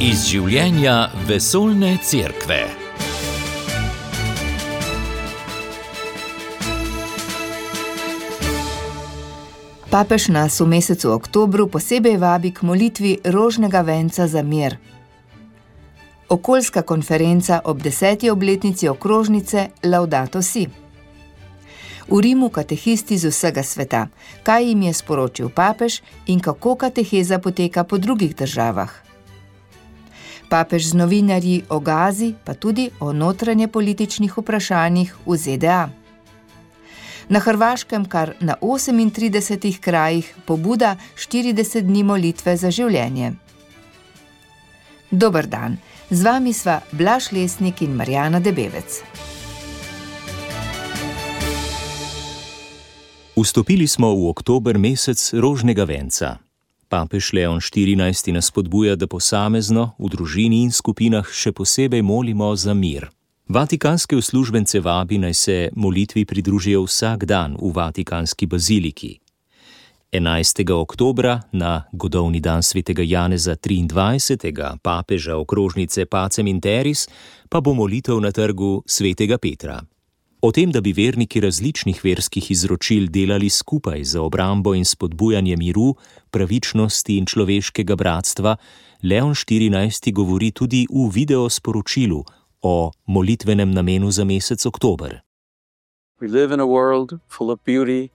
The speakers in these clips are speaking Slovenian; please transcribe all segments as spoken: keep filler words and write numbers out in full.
Iz življenja vesoljne cerkve. Papež nas v mesecu oktobru posebej vabi k molitvi rožnega venca za mir. Okoljska konferenca ob deseti obletnici okrožnice Laudato Si. V Rimu katehisti z vsega sveta, kaj jim je sporočil papež in kako kateheza poteka po drugih državah. Papež z novinarji o Gazi, pa tudi o notranje političnih vprašanjih v Z D A. Na Hrvaškem kar na osemintridesetih krajih pobuda štirideset dni molitve za življenje. Dober dan, z vami sva Blaž Lesnik in Marjana Debevec. Vstopili smo v oktober mesec rožnega venca. Papež Leon štirinajsti nas spodbuja, da posamezno, v družini in skupinah še posebej molimo za mir. Vatikanske uslužbence vabi, naj se molitvi pridružijo vsak dan v Vatikanski baziliki. enajstega oktobra, na godovni dan svetega Janeza triindvajsetega, papeža okrožnice Pacem in Terris, pa bo molitev na trgu svetega Petra. O tem, da bi verniki različnih verskih izročil delali skupaj za obrambo in spodbujanje miru, pravičnosti in človeškega bratstva, Leon štirinajsti govori tudi v videosporočilu o molitvenem namenu za mesec oktober. We live in a world full of beauty,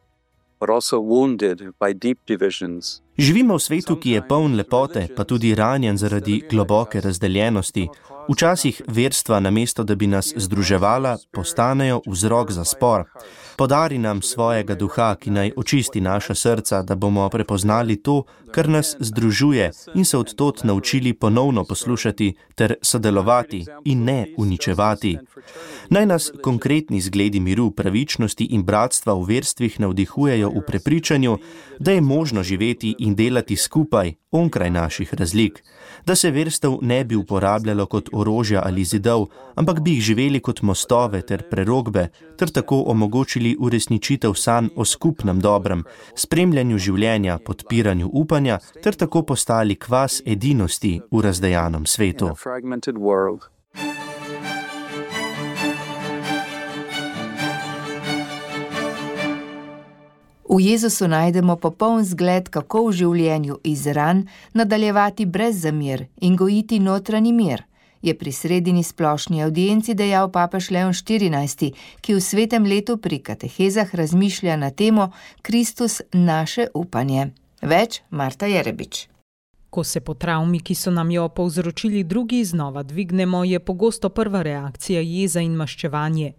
but also wounded by deep divisions. Živimo v svetu, ki je poln lepote, pa tudi ranjen zaradi globoke razdeljenosti. Včasih verstva, namesto da bi nas združevala, postanejo vzrok za spor. Podari nam svojega duha, ki naj očisti naša srca, da bomo prepoznali to, kar nas združuje in se od tod naučili ponovno poslušati ter sodelovati in ne uničevati. Naj nas konkretni zgledi miru, pravičnosti in bratstva v verstvih navdihujejo v prepričanju, da je možno živeti in delati skupaj, onkraj naših razlik, da se verstev ne bi uporabljalo kot orožja ali zidov, ampak bi jih živeli kot mostove ter prerokbe, ter tako omogočili uresničitev sanj o skupnem dobrem, spremljanju življenja, podpiranju upanja, ter tako postali kvas edinosti v razdejanem svetu. V Jezusu najdemo popoln zgled, kako v življenju iz ran nadaljevati brez zamir in gojiti notranji mir, je pri sredini splošni avdienci dejal papež Leon štirinajsti, ki v svetem letu pri katehezah razmišlja na temo Kristus naše upanje. Več Marta Jerebič. Ko se po travmi, ki so nam jo povzročili drugi, znova dvignemo, je pogosto prva reakcija jeza in maščevanje.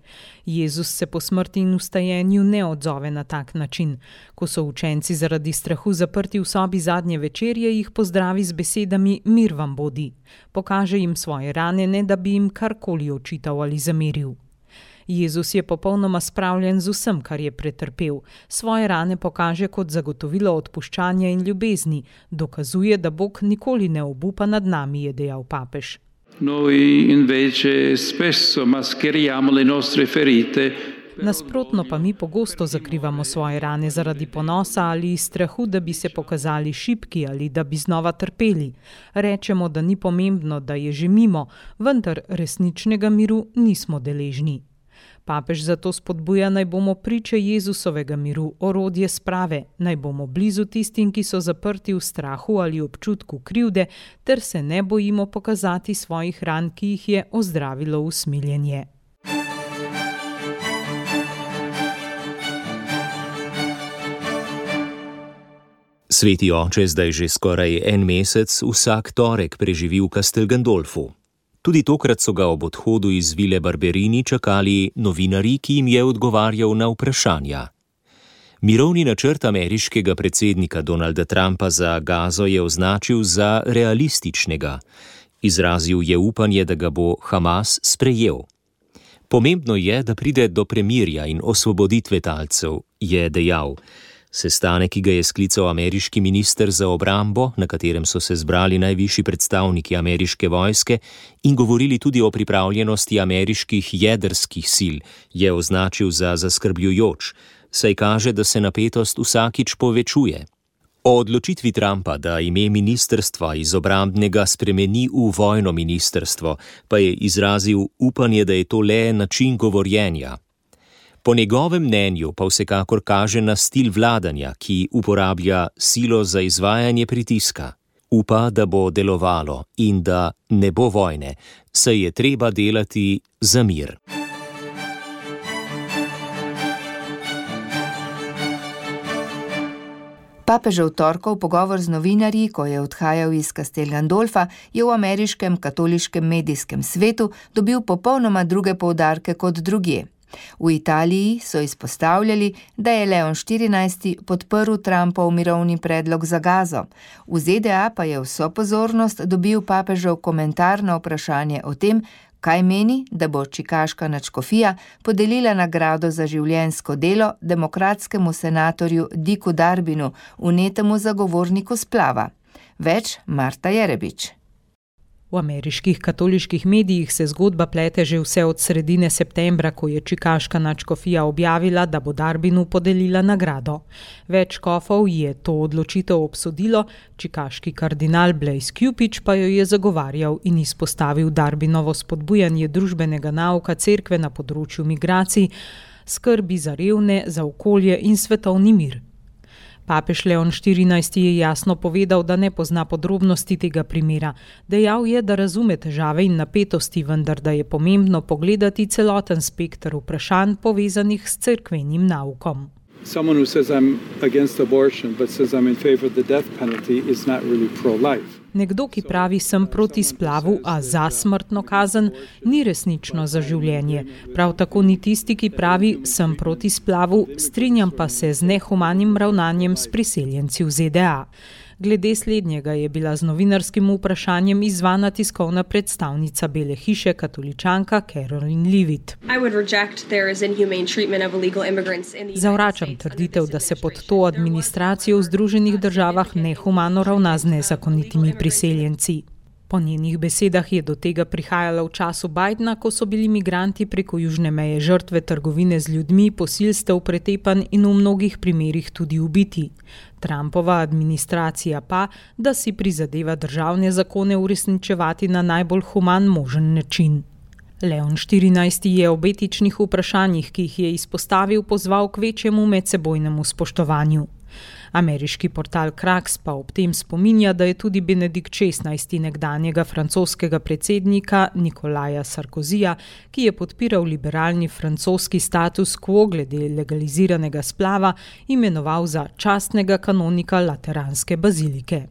Jezus se po smrti in vstajenju ne odzove na tak način. Ko so učenci zaradi strahu zaprti v sobi zadnje večerje, jih pozdravi z besedami mir vam bodi. Pokaže jim svoje rane, ne da bi jim karkoli očital ali zameril. Jezus je popolnoma spravljen z vsem, kar je pretrpel. Svoje rane pokaže kot zagotovilo odpuščanja in ljubezni. Dokazuje, da Bog nikoli ne obupa nad nami, je dejal papež. Noi invece spesso mascheriamo le nostre ferite. Nasprotno pa mi pogosto zakrivamo svoje rane zaradi ponosa ali iz strahu, da bi se pokazali šibki ali da bi znova trpeli. Rečemo, da ni pomembno, da je že mimo, vendar resničnega miru nismo deležni. Papež zato spodbuja, naj bomo priče Jezusovega miru, orodje sprave, naj bomo blizu tistim, ki so zaprti v strahu ali občutku krivde, ter se ne bojimo pokazati svojih ran, ki jih je ozdravilo usmiljenje. Sveti oče zdaj že skoraj en mesec vsak torek preživi v Castel Gandolfu. Tudi tokrat so ga ob odhodu iz vile Barberini čakali novinarji, ki jim je odgovarjal na vprašanja. Mirovni načrt ameriškega predsednika Donalda Trumpa za Gazo je označil za realističnega. Izrazil je upanje, da ga bo Hamas sprejel. Pomembno je, da pride do premirja in osvoboditve talcev, je dejal. Sestanek, ki ga je sklical ameriški minister za obrambo, na katerem so se zbrali najvišji predstavniki ameriške vojske in govorili tudi o pripravljenosti ameriških jedrskih sil, je označil za zaskrbljujoč, saj kaže, da se napetost vsakič povečuje. O odločitvi Trumpa, da ime ministrstva iz obrambnega spremeni v vojno ministrstvo, pa je izrazil upanje, da je to le način govorjenja. Po njegovem mnenju pa vsekakor kaže na stil vladanja, ki uporablja silo za izvajanje pritiska. Upa, da bo delovalo in da ne bo vojne, saj je treba delati za mir. Papežev torkov pogovor z novinarji, ko je odhajal iz Castel Gandolfa, je v ameriškem katoliškem medijskem svetu dobil popolnoma druge poudarke kot drugje. V Italiji so izpostavljali, da je Leon štirinajsti podprl Trumpov mirovni predlog za Gazo. V Z D A pa je vso pozornost dobil papežev komentar na vprašanje o tem, kaj meni, da bo čikaška nadškofija podelila nagrado za življenjsko delo demokratskemu senatorju Dicku Darbinu, vnetemu zagovorniku splava. Več Marta Jerebič. V ameriških katoliških medijih se zgodba plete že vse od sredine septembra, ko je čikaška nadškofija objavila, da bo Darbinu podelila nagrado. Več škofov je to odločitev obsodilo, čikaški kardinal Blaise Cupich pa jo je zagovarjal in izpostavil Darbinovo spodbujanje družbenega nauka cerkve na področju migracij, skrbi za revne, za okolje in svetovni mir. Papež Leon štirinajsti je jasno povedal, da ne pozna podrobnosti tega primera. Dejal je, da razume težave in napetosti, vendar da je pomembno pogledati celoten spekter vprašanj povezanih s cerkvenim naukom. Someone who says I'm against abortion but says I'm in favor of the death penalty is not really pro-life. Nekdo, ki pravi, sem proti splavu, a za smrtno kazen, ni resnično za življenje. Prav tako ni tisti, ki pravi, sem proti splavu, strinjam pa se z nehumanim ravnanjem s priseljenci v Z D A. Glede slednjega je bila z novinarskim vprašanjem izzvana tiskovna predstavnica Bele hiše, katoličanka Caroline Leavitt. Zavračam trditev, da se pod to administracijo v Združenih državah nehumano ravna z nezakonitimi priseljenci. Po njenih besedah je do tega prihajalo v času Bidena, ko so bili migranti preko južne meje žrtve trgovine z ljudmi, posilstev, pretepanj in v mnogih primerih tudi ubiti. Trumpova administracija pa, da si prizadeva državne zakone uresničevati na najbolj human možen način. Leon štirinajsti je ob etičnih vprašanjih, ki jih je izpostavil, pozval k večjemu medsebojnemu spoštovanju. Ameriški portal Kraks pa ob tem spominja, da je tudi Benedikt šestnajsti nekdanjega francoskega predsednika Nikolaja Sarkozija, ki je podpiral liberalni francoski status quo glede legaliziranega splava, imenoval za častnega kanonika Lateranske bazilike.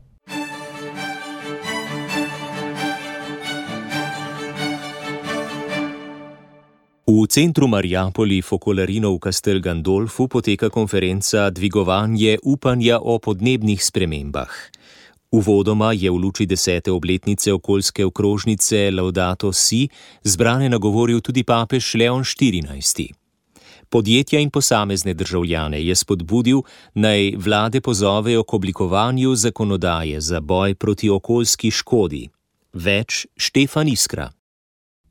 V centru Mariapoli Focolarino v Castel Gandolfu poteka konferenca Dvigovanje upanja o podnebnih spremembah. Uvodoma je v luči desete obletnice okoljske okrožnice Laudato Si zbrane nagovoril tudi papež Leon štirinajsti. Podjetja in posamezne državljane je spodbudil, naj vlade pozovejo k oblikovanju zakonodaje za boj proti okoljski škodi. Več Štefan Iskra.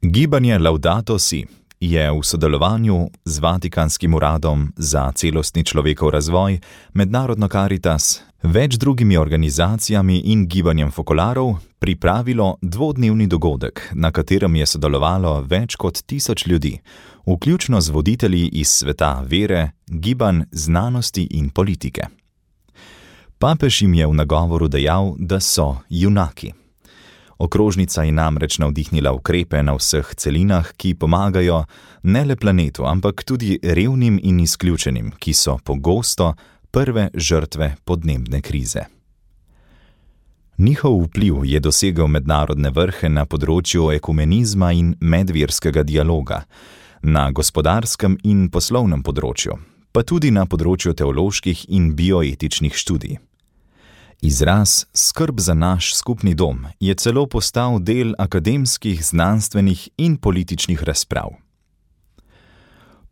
Gibanje Laudato Si je v sodelovanju z Vatikanskim uradom za celostni človekov razvoj, Mednarodno Karitas, več drugimi organizacijami in gibanjem fokolarov pripravilo dvodnevni dogodek, na katerem je sodelovalo več kot tisoč ljudi, vključno z voditelji iz sveta vere, gibanj, znanosti in politike. Papež jim je v nagovoru dejal, da so junaki. Okrožnica je namreč navdihnila ukrepe na vseh celinah, ki pomagajo ne le planetu, ampak tudi revnim in izključenim, ki so pogosto prve žrtve podnebne krize. Njihov vpliv je dosegel mednarodne vrhe na področju ekumenizma in medverskega dialoga, na gospodarskem in poslovnem področju, pa tudi na področju teoloških in bioetičnih študij. Izraz skrb za naš skupni dom je celo postal del akademskih, znanstvenih in političnih razprav.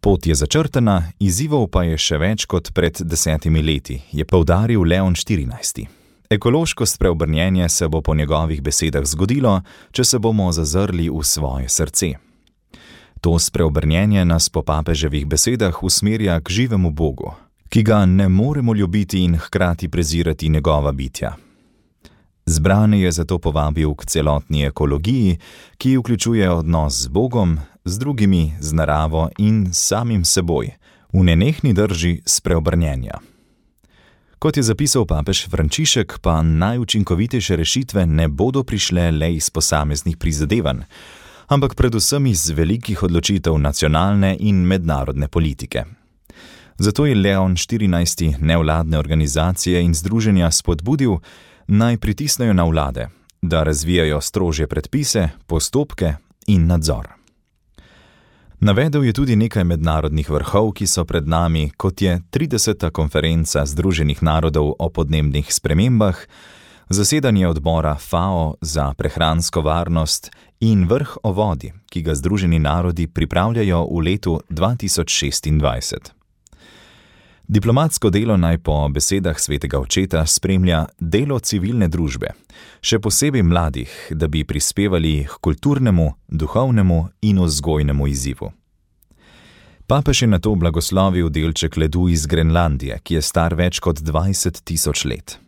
Pot je začrtana, izzivov pa je še več kot pred desetimi leti, je poudaril Leon štirinajsti. Ekološko spreobrnjenje se bo po njegovih besedah zgodilo, če se bomo zazrli v svoje srce. To spreobrnjenje nas po papeževih besedah usmerja k živemu Bogu, ki ga ne moremo ljubiti in hkrati prezirati njegova bitja. Zbrane je zato povabil k celotni ekologiji, ki vključuje odnos z Bogom, z drugimi, z naravo in samim seboj, v nenehni drži spreobrnjenja. Kot je zapisal papež Frančišek, pa najučinkovitejše rešitve ne bodo prišle le iz posameznih prizadevanj, ampak predvsem iz velikih odločitev nacionalne in mednarodne politike. Zato je Leon štirinajsti nevladne organizacije in združenja spodbudil, naj pritisnejo na vlade, da razvijajo strožje predpise, postopke in nadzor. Navedel je tudi nekaj mednarodnih vrhov, ki so pred nami, kot je trideseta konferenca Združenih narodov o podnebnih spremembah, zasedanje odbora F A O za prehransko varnost in vrh o vodi, ki ga Združeni narodi pripravljajo v letu dva tisoč šestindvajset. Diplomatsko delo naj po besedah svetega očeta spremlja delo civilne družbe, še posebej mladih, da bi prispevali k kulturnemu, duhovnemu in vzgojnemu izzivu. Papež je nato blagoslovil delček ledu iz Grenlandije, ki je star več kot dvajset tisoč let.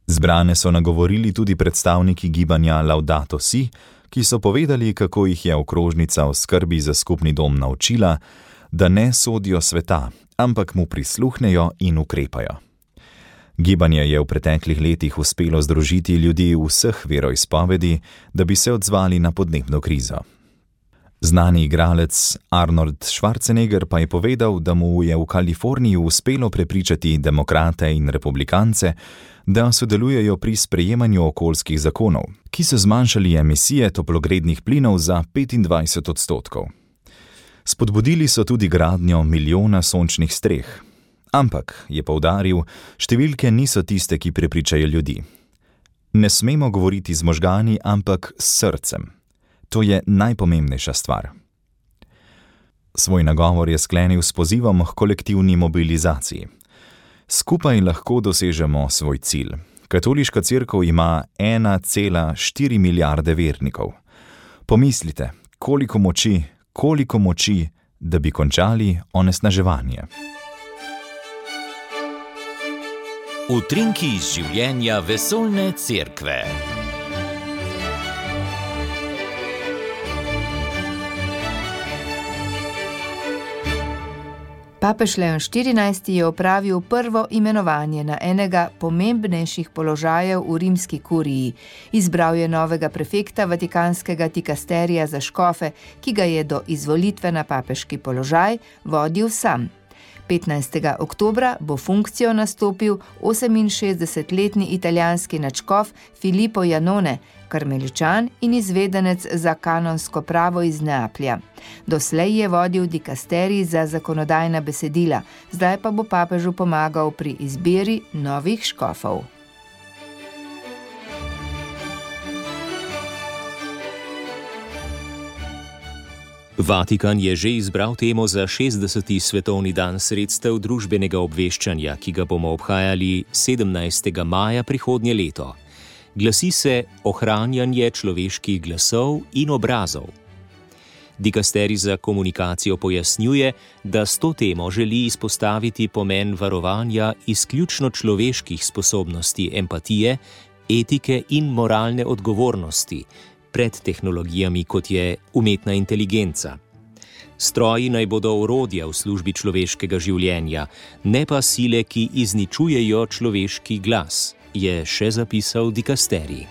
Zbrane so nagovorili tudi predstavniki gibanja Laudato Si, ki so povedali, kako jih je okrožnica v skrbi za skupni dom naučila, da ne sodijo sveta, ampak mu prisluhnejo in ukrepajo. Gibanje je v preteklih letih uspelo združiti ljudi vseh veroizpovedi, da bi se odzvali na podnebno krizo. Znani igralec Arnold Schwarzenegger pa je povedal, da mu je v Kaliforniji uspelo prepričati demokrate in republikance, da sodelujejo pri sprejemanju okoljskih zakonov, ki so zmanjšali emisije toplogrednih plinov za petindvajset odstotkov. Spodbudili so tudi gradnjo milijona sončnih streh. Ampak, je poudaril, številke niso tiste, ki prepričajo ljudi. Ne smemo govoriti z možgani, ampak s srcem. To je najpomembnejša stvar. Svoj nagovor je sklenil s pozivom k kolektivni mobilizaciji. Skupaj lahko dosežemo svoj cilj. Katoliška cerkev ima ena cela štiri milijarde vernikov. Pomislite, koliko moči, koliko moči, da bi končali onesnaževanje. Utrinki iz življenja vesoljne cerkve. Papež Leon štirinajsti je opravil prvo imenovanje na enega pomembnejših položajev v rimski kuriji. Izbral je novega prefekta vatikanskega dikasterija za škofe, ki ga je do izvolitve na papeški položaj vodil sam. petnajstega oktobra bo funkcijo nastopil oseminšestdesetletni italijanski nadškof Filippo Janone, karmeličan in izvedenec za kanonsko pravo iz Neaplja. Doslej je vodil dikasterij za zakonodajna besedila, zdaj pa bo papežu pomagal pri izbiri novih škofov. Vatikan je že izbral temo za šestdeseti svetovni dan sredstev družbenega obveščanja, ki ga bomo obhajali sedemnajstega maja prihodnje leto. Glasi se ohranjanje človeških glasov in obrazov. Dikasterij za komunikacijo pojasnjuje, da s to temo želi izpostaviti pomen varovanja izključno človeških sposobnosti empatije, etike in moralne odgovornosti pred tehnologijami, kot je umetna inteligenca. Stroji naj bodo orodja v službi človeškega življenja, ne pa sile, ki izničujejo človeški glas, je še zapisal dikasterij.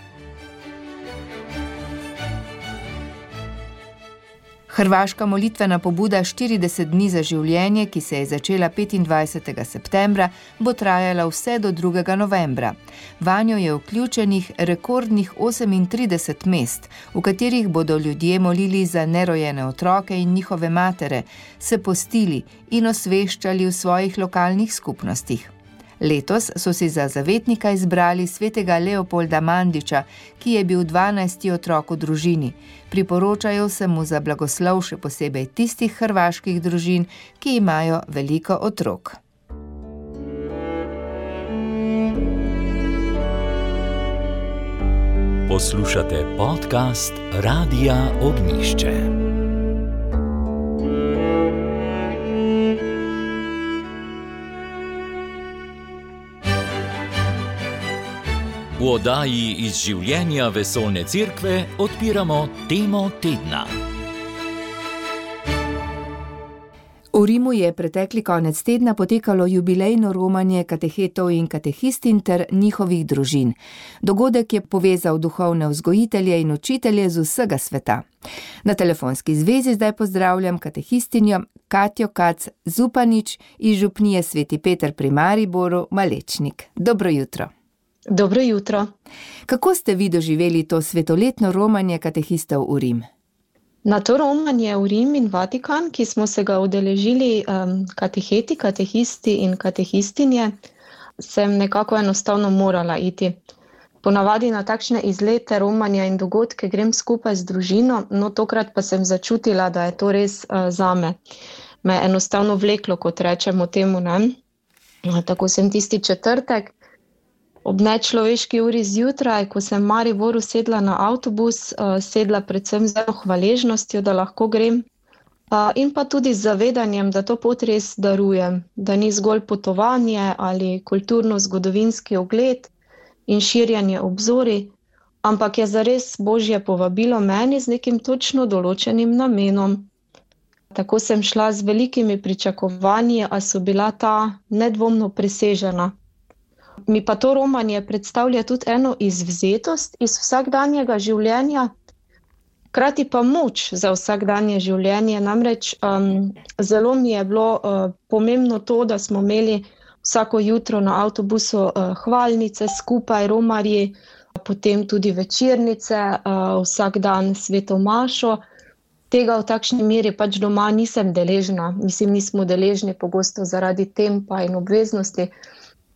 Hrvaška molitvena pobuda štirideset dni za življenje, ki se je začela petindvajsetega septembra, bo trajala vse do drugega novembra. Vanjo je vključenih rekordnih osemintrideset mest, v katerih bodo ljudje molili za nerojene otroke in njihove matere, se postili in osveščali v svojih lokalnih skupnostih. Letos so si za zavetnika izbrali svetega Leopolda Mandiča, ki je bil dvanajsti otrok v družini. Priporočajo se mu za blagoslov še posebej tistih hrvaških družin, ki imajo veliko otrok. Poslušate podcast Radia Ognjišče. V oddaji iz življenja Vesoljne cerkve odpiramo temo tedna. V Rimu je pretekli konec tedna potekalo jubilejno romanje katehetov in katehistin ter njihovih družin. Dogodek je povezal duhovne vzgojitelje in učitelje z vsega sveta. Na telefonski zvezi zdaj pozdravljam katehistinjo Katjo Kac Zupanič iz župnije Sveti Peter pri Mariboru, Malečnik. Dobro jutro. Dobro jutro. Kako ste vi doživeli to svetoletno romanje katehistov v Rim? Na to romanje v Rim in Vatikan, ki smo se ga udeležili um, kateheti, katehisti in katehistinje, sem nekako enostavno morala iti. Ponavadi na takšne izlete, romanja in dogodke grem skupaj z družino, no tokrat pa sem začutila, da je to res uh, zame. Me je enostavno vleklo, kot rečemo temu, ne? Tako sem tisti četrtek, ob nečloveški uri zjutraj, ko sem v Mariboru sedla na avtobus, sedla predvsem z hvaležnostjo, da lahko grem, in pa tudi z zavedanjem, da to pot res darujem, da ni zgolj potovanje ali kulturno-zgodovinski ogled in širjanje obzorij, ampak je zares Božje povabilo meni z nekim točno določenim namenom. Tako sem šla z velikimi pričakovanji, a so bila ta nedvomno presežena. Mi pa to romanje predstavlja tudi eno izvzetost iz vsakdanjega življenja, hkrati pa moč za vsakdanje življenje. Namreč um, zelo mi je bilo uh, pomembno to, da smo imeli vsako jutro na avtobusu uh, hvalnice skupaj, romarji, potem tudi večernice, uh, vsak dan sveto mašo. Tega v takšni meri pač doma nisem deležna. Mislim, nismo deležni pogosto zaradi tempa in obveznosti.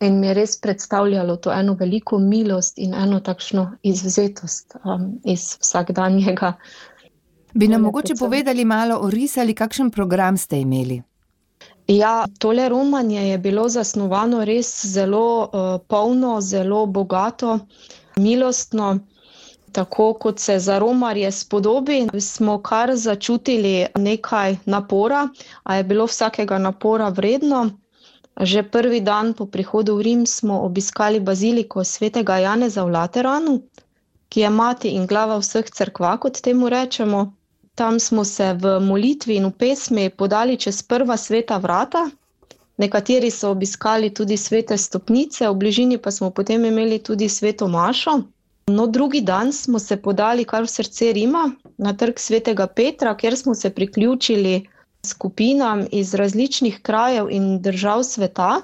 In mi je res predstavljalo to eno veliko milost in eno takšno izvzetost um, iz vsakdanjega. Bi nam mogoče povedali malo, orisali, kakšen program ste imeli? Ja, tole romanje je bilo zasnovano res zelo uh, polno, zelo bogato, milostno. Tako kot se za romarje spodobi, smo kar začutili nekaj napora, a je bilo vsakega napora vredno. Že prvi dan po prihodu v Rim smo obiskali baziliko svetega Janeza v Lateranu, ki je mati in glava vseh cerkva, kot temu rečemo. Tam smo se v molitvi in v pesmi podali čez prva sveta vrata. Nekateri so obiskali tudi svete stopnice, v bližini pa smo potem imeli tudi sveto mašo. No, drugi dan smo se podali kar v srce Rima, na trg svetega Petra, kjer smo se priključili skupinam iz različnih krajev in držav sveta,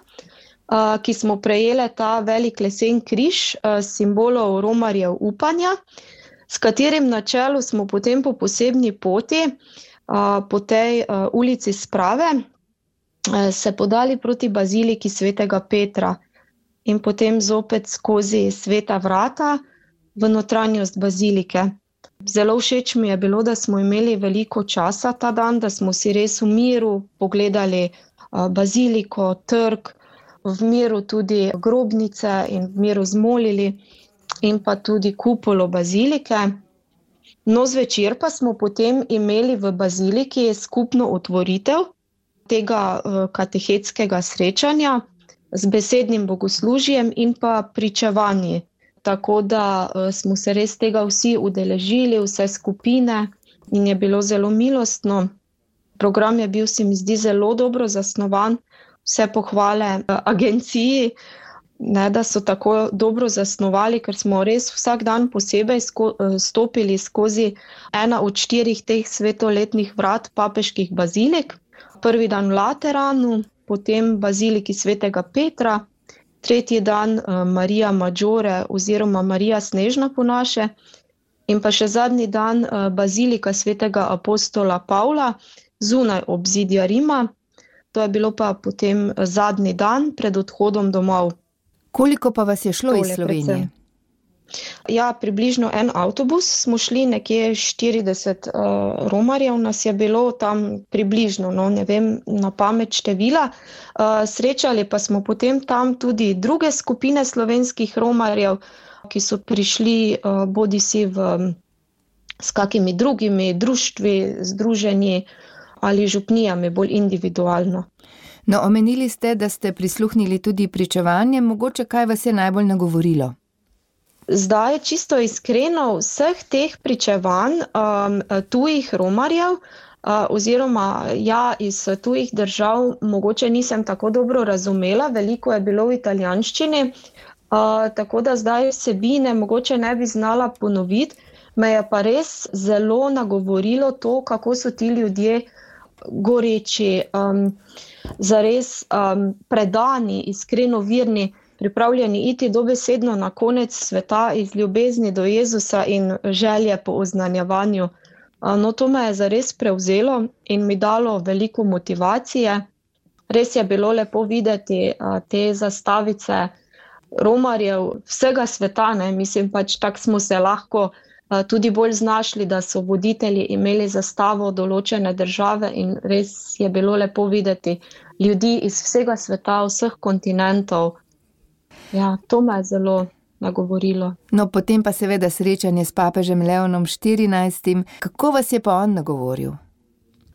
ki smo prejeli ta velik lesen križ simbolov romarjev upanja, s katerim na čelu smo potem po posebni poti, po tej ulici Sprave, se podali proti baziliki svetega Petra in potem zopet skozi sveta vrata v notranjost bazilike. Zelo všeč mi je bilo, da smo imeli veliko časa ta dan, da smo si res v miru pogledali baziliko, trg, v miru tudi grobnice in v miru zmolili in pa tudi kupolo bazilike. No, zvečer pa smo potem imeli v baziliki skupno otvoritev tega katehetskega srečanja z besednim bogoslužjem in pa pričevanji. Tako da smo se res tega vsi udeležili, vse skupine in je bilo zelo milostno. Program je bil, se mi zdi, zelo dobro zasnovan, vse pohvale agenciji, ne, da so tako dobro zasnovali, ker smo res vsak dan posebej sko- stopili skozi ena od štirih teh svetoletnih vrat papeških bazilik. Prvi dan v Lateranu, potem baziliki svetega Petra, tretji dan Marija Maggiore oziroma Marija Snežna po naše in pa še zadnji dan bazilika svetega apostola Pavla zunaj obzidja Rima. To je bilo pa potem zadnji dan pred odhodom domov. Koliko pa vas je šlo Tole iz Slovenije? predvsem. Ja, približno en avtobus smo šli, nekje štirideset uh, romarjev nas je bilo tam približno, no, ne vem na pamet števila. Uh, srečali pa smo potem tam tudi druge skupine slovenskih romarjev, ki so prišli uh, bodisi v, s kakimi drugimi društvi, združenji ali župnijami, bolj individualno. No, omenili ste, da ste prisluhnili tudi pričevanjem, mogoče kaj vas je najbolj nagovorilo? Zdaj, čisto iskreno, vseh teh pričevanj um, tujih romarjev, uh, oziroma ja, iz tujih držav, mogoče nisem tako dobro razumela, veliko je bilo v italijanščini, uh, tako da zdaj vsebine mogoče ne bi znala ponoviti, me je pa res zelo nagovorilo to, kako so ti ljudje goreči, um, zares um, predani, iskreno verni, pripravljeni iti dobesedno na konec sveta iz ljubezni do Jezusa in želje po oznanjevanju. No, to me je zares prevzelo in mi dalo veliko motivacije. Res je bilo lepo videti te zastavice romarjev vsega sveta, ne? Mislim pač, tako smo se lahko tudi bolj znašli, da so voditelji imeli zastavo določene države in res je bilo lepo videti ljudi iz vsega sveta, vseh kontinentov. Ja, to me je zelo nagovorilo. No, potem pa seveda srečanje s papežem Leonom štirinajstim. Kako vas je pa on nagovoril?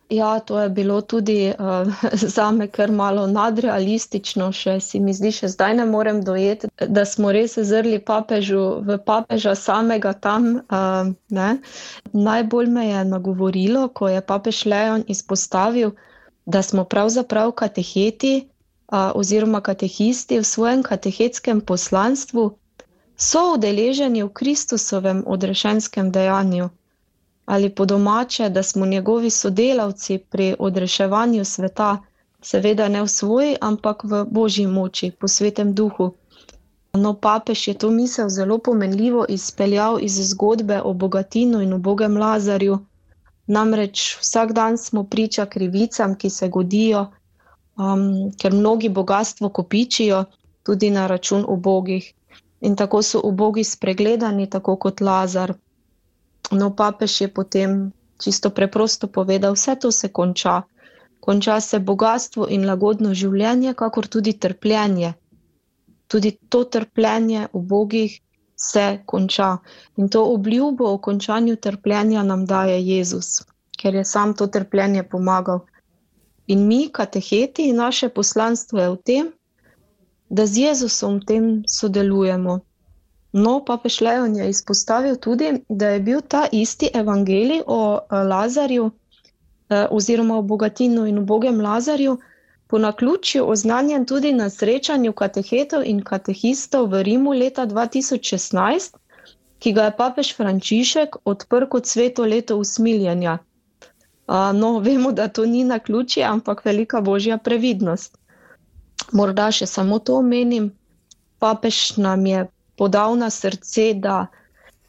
Ja, to je bilo tudi uh, zame kar malo nadrealistično, še si mi zdi, še zdaj ne morem dojeti, da smo res zrli papežu v papeža samega tam. Uh, ne. Najbolj me je nagovorilo, ko je papež Leon izpostavil, da smo pravzaprav kateheti uh, oziroma katehisti v svojem katehetskem poslanstvu so udeleženi v Kristusovem odrešenskem dejanju. Ali po domače, da smo njegovi sodelavci pri odreševanju sveta, seveda ne v svoji, ampak v Božji moči, po svetem duhu. No, papež je to misel zelo pomenljivo izpeljal iz zgodbe o bogatinu in ubogem Lazarju. Namreč vsak dan smo priča krivicam, ki se godijo, um, ker mnogi bogatstvo kopičijo tudi na račun ubogih. In tako so ubogi spregledani, tako kot Lazar. No, papež je potem čisto preprosto povedal, vse to se konča. Konča se bogatstvo in lagodno življenje, kakor tudi trpljenje. Tudi to trpljenje ubogih se konča. In to obljubo o končanju trpljenja nam daje Jezus, ker je sam to trpljenje pomagal. In mi, kateheti, naše poslanstvo je v tem, da z Jezusom v tem sodelujemo. No, papež Leon je izpostavil tudi, da je bil ta isti evangelij o Lazarju oziroma o bogatinu in ubogem Lazarju po naključju oznanjen tudi na srečanju katehetov in katehistov v Rimu leta dva tisoč šestnajst, ki ga je papež Frančišek odprl kot sveto leto usmiljenja. No, vemo, da to ni naključje, ampak velika božja previdnost. Morda še samo to omenim, papež nam je podal na srce, da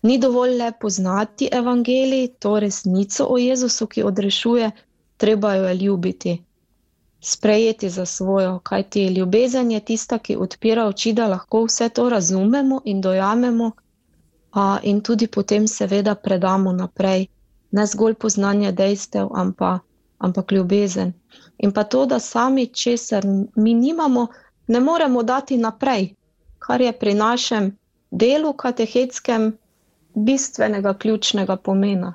ni dovolj le poznati evangelij, to resnico o Jezusu, ki odrešuje, treba jo je ljubiti, sprejeti za svojo, kajti ljubezen je tista, ki odpira oči, da lahko vse to razumemo in dojamemo a, in tudi potem seveda predamo naprej. Ne zgolj poznanje dejstev, ampak, ampak ljubezen. In pa to, da sami česar mi nimamo, ne moremo dati naprej, kar je pri našem delu katehetskem bistvenega, ključnega pomena.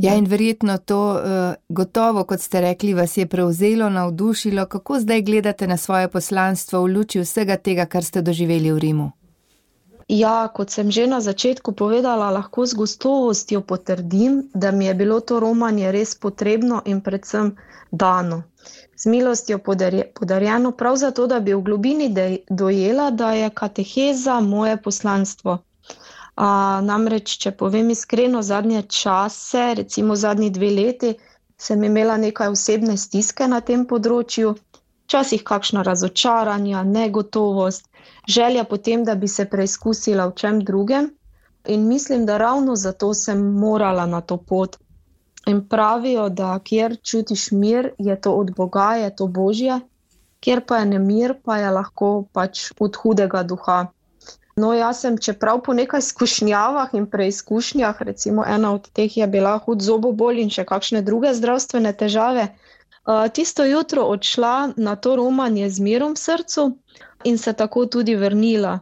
Ja, in verjetno to uh, gotovo, kot ste rekli, vas je prevzelo, navdušilo. Kako zdaj gledate na svoje poslanstvo v luči vsega tega, kar ste doživeli v Rimu? Ja, kot sem že na začetku povedala, lahko z gostovostjo potrdim, da mi je bilo to romanje res potrebno in predvsem dano. Z milostjo podarjeno prav zato, da bi v globini dojela, da je kateheza moje poslanstvo. A, namreč, če povem iskreno, zadnje čase, recimo zadnji dve leti, sem imela nekaj osebne stiske na tem področju, včasih kakšna razočaranja, negotovost, želja potem, da bi se preizkusila v čem drugem in mislim, da ravno zato sem morala na to pot. In pravijo, da kjer čutiš mir, je to od Boga, je to Božje, kjer pa je nemir, pa je lahko pač od hudega duha. No, jaz sem, čeprav po nekaj izkušnjavah in preizkušnjah, recimo ena od teh je bila hud zobobol in še kakšne druge zdravstvene težave, tisto jutro odšla na to romanje z mirom v srcu in se tako tudi vrnila.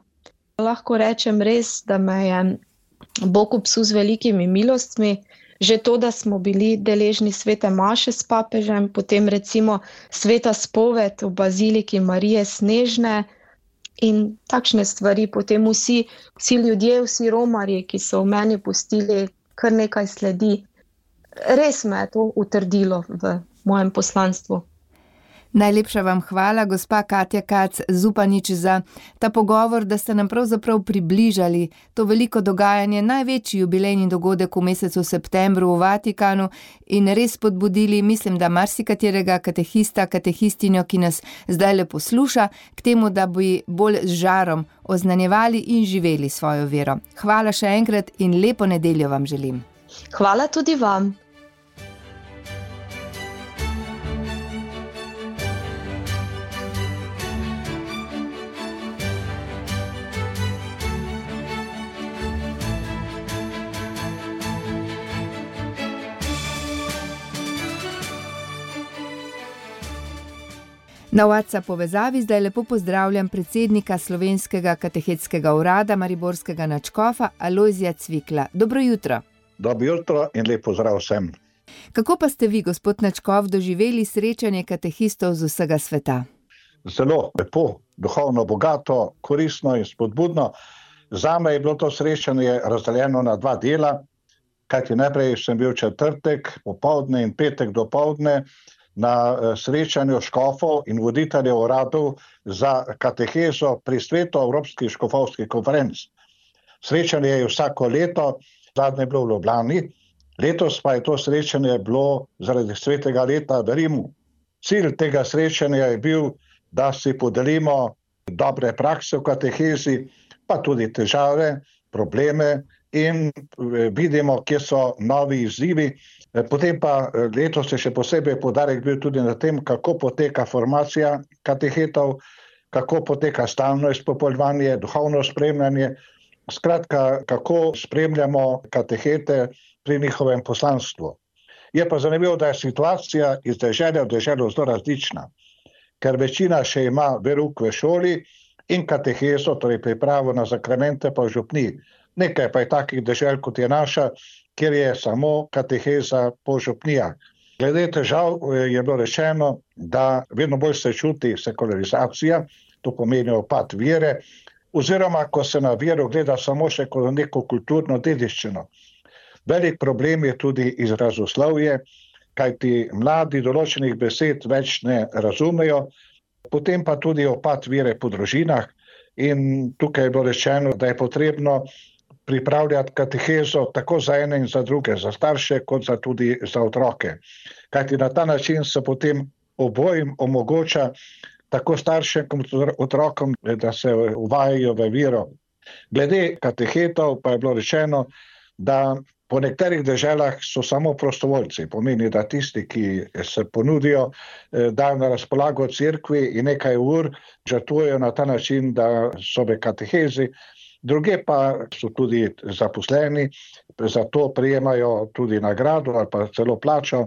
Lahko rečem res, da me je Bog obsul z velikimi milostmi, že to, da smo bili deležni svete maše s papežem, potem recimo sveta spoved v baziliki Marije Snežne In takšne stvari potem vsi, vsi ljudje, vsi romarji, ki so v meni pustili kar nekaj sledi, res me je to utrdilo v mojem poslanstvu. Najlepša vam hvala, gospa Katja Kac Zupanič, za ta pogovor, da ste nam pravzaprav približali to veliko dogajanje, največji jubilejni dogodek v mesecu septembru v Vatikanu in res spodbudili, mislim, da marsikaterega katehista, katehistinjo, ki nas zdaj le posluša, k temu, da bi bolj z žarom oznanjevali in živeli svojo vero. Hvala še enkrat in lepo nedeljo vam želim. Hvala tudi vam. Na WhatsApp povezavi zdaj lepo pozdravljam predsednika Slovenskega katehetskega urada mariborskega nadškofa Alojzija Cvikla. Dobro jutro. Dobro jutro in lep pozdrav vsem. Kako pa ste vi, gospod nadškof, doživeli srečanje katehistov z vsega sveta? Zelo lepo, duhovno bogato, koristno in spodbudno. Zame je bilo to srečanje razdeljeno na dva dela, kajti najprej sem bil četrtek popoldne in petek dopoldne na srečanju škofov in voditeljev uradov za katehezo pri svetu Evropskih škofovskih konferenc. Srečanje je vsako leto, zadnje je bilo v Ljubljani, letos pa je to srečanje bilo zaradi svetega leta v Rimu. Cilj tega srečanja je bil, da si podelimo dobre prakse v katehezi, pa tudi težave, probleme in vidimo, kje so novi izzivi. Potem pa letos je še posebej poudarek bil tudi na tem, kako poteka formacija katehetov, kako poteka stalno izpopolnjevanje, duhovno spremljanje, skratka, kako spremljamo katehete pri njihovem poslanstvu. Je pa zanimivo, da je situacija iz dežele v deželo zelo različna, ker večina še ima verouk v šoli in katehezo, torej pripravo na zakramente pa v župniji. Nekaj pa je takih dežel, kot je naša, kjer je samo kateheza po župnijah. Glede težav je bilo rečeno, da vedno bolj se čuti sekularizacija, to pomeni upad vere, oziroma ko se na vero gleda samo še kot neko kulturno dediščino. Velik problem je tudi izrazoslovje, kajti mladi določenih besed več ne razumejo, potem pa tudi upad vere po družinah in tukaj je bilo rečeno, da je potrebno pripravljati katehezo tako za ene in za druge, za starše kot za tudi za otroke. Kajti na ta način se potem obojim omogoča tako staršem kot otrokom, da se uvajajo v vero. Glede katehetov pa je bilo rečeno, da po nekaterih deželah so samo prostovoljci, pomeni, da tisti, ki se ponudijo, dajo na razpolago cerkvi in nekaj ur žrtvujejo na ta način, da so v katehezi. Druge pa so tudi zaposleni, zato prejemajo tudi nagrado ali pa celo plačo.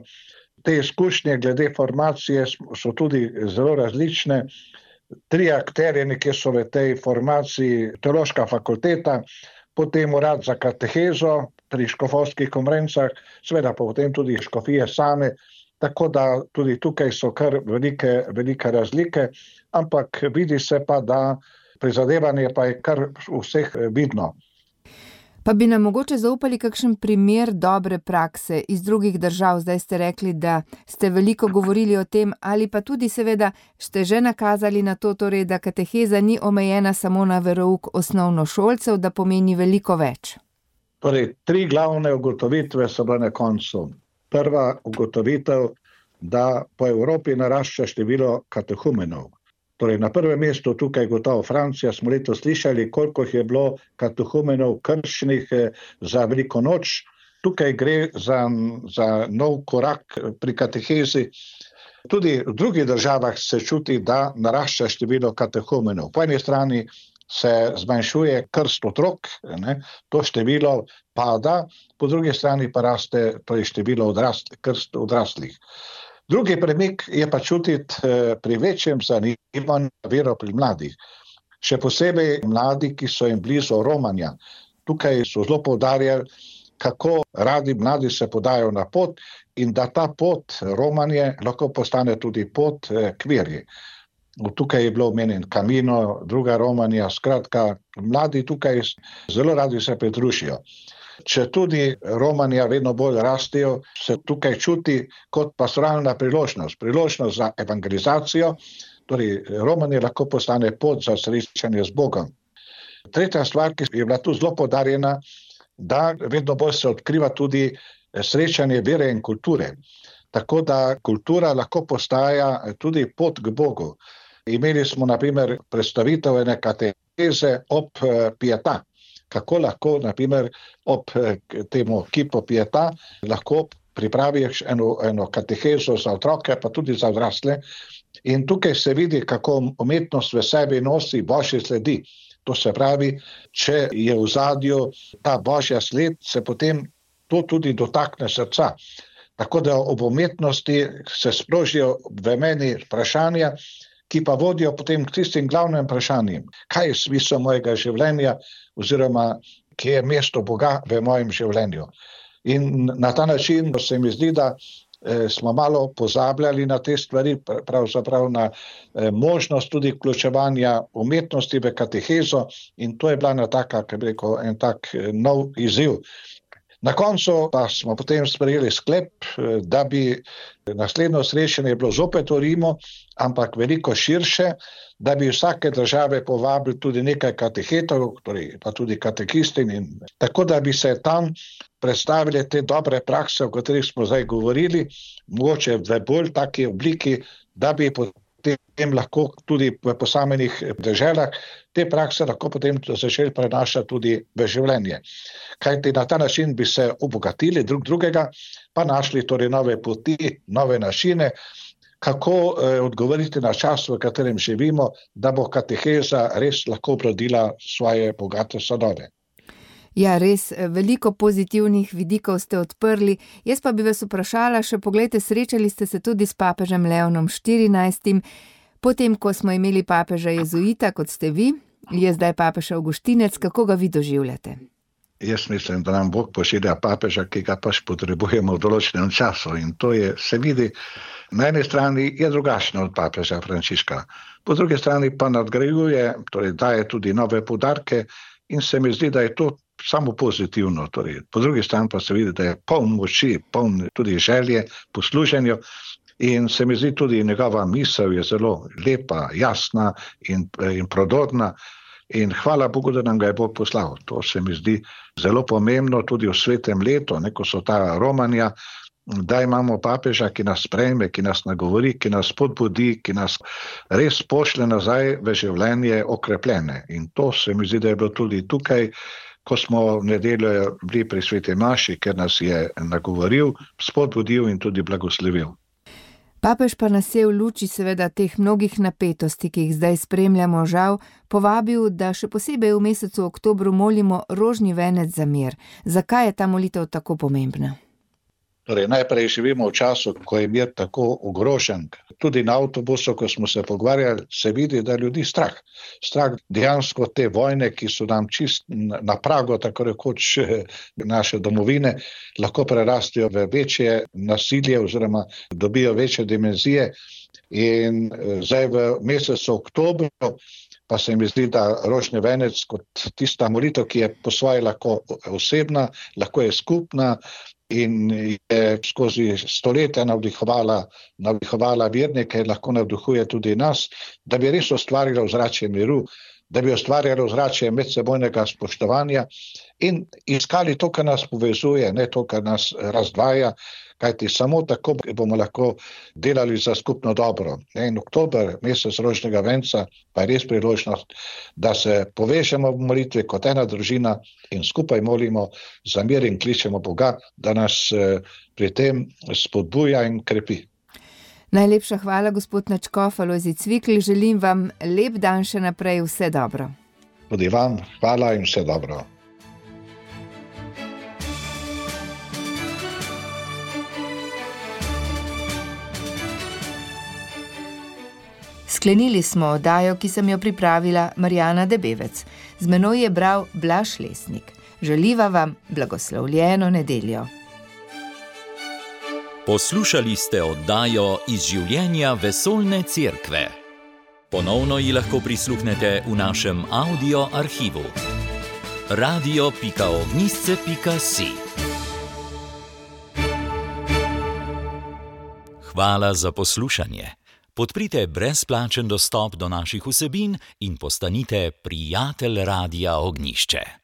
Te izkušnje glede formacije so tudi zelo različne. Tri akterje nekje so v tej formaciji, teološka fakulteta, potem urad za katehezo pri škofovskih konferencah, seveda pa potem tudi škofije same, tako da tudi tukaj so kar velike, velike razlike, ampak vidi se pa, da prizadevanje pa je kar vseh vidno. Pa bi nam mogoče zaupali kakšen primer dobre prakse iz drugih držav? Zdaj ste rekli, da ste veliko govorili o tem, ali pa tudi seveda ste že nakazali na to, torej, da kateheza ni omejena samo na verouk osnovnošolcev, da pomeni veliko več. Torej, tri glavne ugotovitve so bile na koncu. Prva ugotovitev, da po Evropi narašča število katehumenov. Torej, na prvem mestu tukaj gotovo Francija, smo letos slišali, koliko je bilo katehumenov krščenih za veliko noč. Tukaj gre za, za nov korak pri katehezi. Tudi v drugih državah se čuti, da narašča število katehumenov. Po eni strani se zmanjšuje krst otrok, ne, to število pada, po drugi strani pa raste število odrastlih, krst odrastlih. Drugi premik je pa čutiti pri večjem zanimanju vero pri mladih. Še posebej mladi, ki so jim blizu romanja. Tukaj so zelo poudarjali, kako radi mladi se podajo na pot in da ta pot romanje lahko postane tudi pot k veri. tukaj je bilo omenjen Camino, druga Romanija, skratka, mladi tukaj zelo radi se pridružijo. Če tudi Romanija vedno bolj rastejo, se tukaj čuti kot pastoralna priložnost, priložnost za evangelizacijo, torej Romanija lahko postane pot za srečanje z Bogom. Tretja stvar, ki je bila tu zelo poudarjena, da vedno bolj se odkriva tudi srečanje vere in kulture. Tako da kultura lahko postaja tudi pot k Bogu. Imeli smo na primer predstavitev ene kateheze ob Pietà. Kako lahko, na primer, ob temu kipu Pietà lahko pripraviš eno, eno katehezo za otroke, pa tudi za odrasle. In tukaj se vidi, kako umetnost v sebi nosi božje sledi. To se pravi, če je v zadju ta božja sled, se potem to tudi dotakne srca. Tako da ob umetnosti se sprožijo v meni vprašanja, ki pa vodijo potem k tistim glavnim vprašanjem. Kaj je smisel mojega življenja oziroma kje je mesto Boga v mojem življenju? In na ta način se mi zdi, da eh, smo malo pozabljali na te stvari, pravzaprav na eh, možnost tudi vključevanja umetnosti v katehezo, in to je bila ena taka, kako bi rekel, en tak eh, nov izziv. Na koncu pa smo potem sprejeli sklep, da bi naslednjo srečanje bilo zopet v Rimu, ampak veliko širše, da bi vsake države povabili tudi nekaj katehetov, torej pa tudi katekistin, in tako da bi se tam predstavili te dobre prakse, o katerih smo zdaj govorili, mogoče v bolj taki obliki, da bi potem lahko tudi v posameznih deželah te prakse lahko potem začeli prenašati tudi v življenje. Kajti na ta način bi se obogatili drug drugega, pa našli torej nove poti, nove načine, kako eh, odgovoriti na čas, v katerem živimo, da bo kateheza res lahko obrodila svoje bogate sadove. Ja, res, veliko pozitivnih vidikov ste odprli. Jaz pa bi vas vprašala še, poglejte, srečali ste se tudi s papežem Leonom štirinajstim. Potem, ko smo imeli papeža jezuita, kot ste vi, je zdaj papež Avguštinec, kako ga vi doživljate? Jaz mislim, da nam Bog pošilja papeža, ki ga pač potrebujemo v določenem času, in to je, se vidi, na eni strani je drugačno od papeža Frančiška, po drugi strani pa nadgrajuje, torej daje tudi nove poudarke, in se mi zdi, da je to samo pozitivno. Torej, po drugi strani pa se vidi, da je poln moči, poln tudi želje po služenju, in se mi zdi tudi njegova misel je zelo lepa, jasna in, in prodorna. In hvala Bogu, da nam ga je Bog poslal. To se mi zdi zelo pomembno tudi v svetem letu, ne, ko so ta Romanija, da imamo papeža, ki nas sprejme, ki nas nagovori, ki nas spodbudi, ki nas res pošle nazaj v življenje okrepljene. In to se mi zdi, da je bilo tudi tukaj, ko smo v nedeljo bili pri sveti maši, ker nas je nagovoril, spodbudil in tudi blagoslovil. Papež pa nas je v luči seveda teh mnogih napetosti, ki jih zdaj spremljamo, žal, povabil, da še posebej v mesecu oktobru molimo rožni venec za mir. Zakaj je ta molitev tako pomembna? Torej, najprej živimo v času, ko je mir tako ogrožen. Tudi na avtobusu, ko smo se pogovarjali, se vidi, da ljudi strah. Strah dejansko te vojne, ki so nam čist na pragu, tako rekoč naše domovine, lahko prerastijo v večje nasilje oziroma dobijo večje dimenzije. In zdaj v mesecu oktobru pa se mi zdi, da rožni venec kot tista molitev, ki je po svoje lahko osebna, lahko je skupna, in je skozi stoletja navdihovala, navdihovala vernike, lahko navdihuje tudi nas, da bi res ustvarila ozračje miru, da bi ustvarjala ozračje medsebojnega spoštovanja in iskali to, kar nas povezuje, ne to, kar nas razdvaja, kajti samo tako bomo lahko delali za skupno dobro. In oktober, mesec rožnega venca, pa je res priložnost, da se povežemo v molitvi kot ena družina in skupaj molimo za mir in kličemo Boga, da nas pri tem spodbuja in krepi. Najlepša hvala, gospod nadškof Alojzij Cvikl. Želim vam lep dan še naprej, vse dobro. Tudi vam hvala in vse dobro. Sklenili smo oddajo, ki sem jo pripravila Marjana Debevec. Z menoj je bral Blaž Lesnik. Želiva vam blagoslovljeno nedeljo. Poslušali ste oddajo iz življenja Vesoljne cerkve. Ponovno ji lahko prisluhnete v našem audio arhivu. radio pika ognjišče pika si. Hvala za poslušanje. Podprite brezplačen dostop do naših vsebin in postanite prijatelj Radia Ognjišče.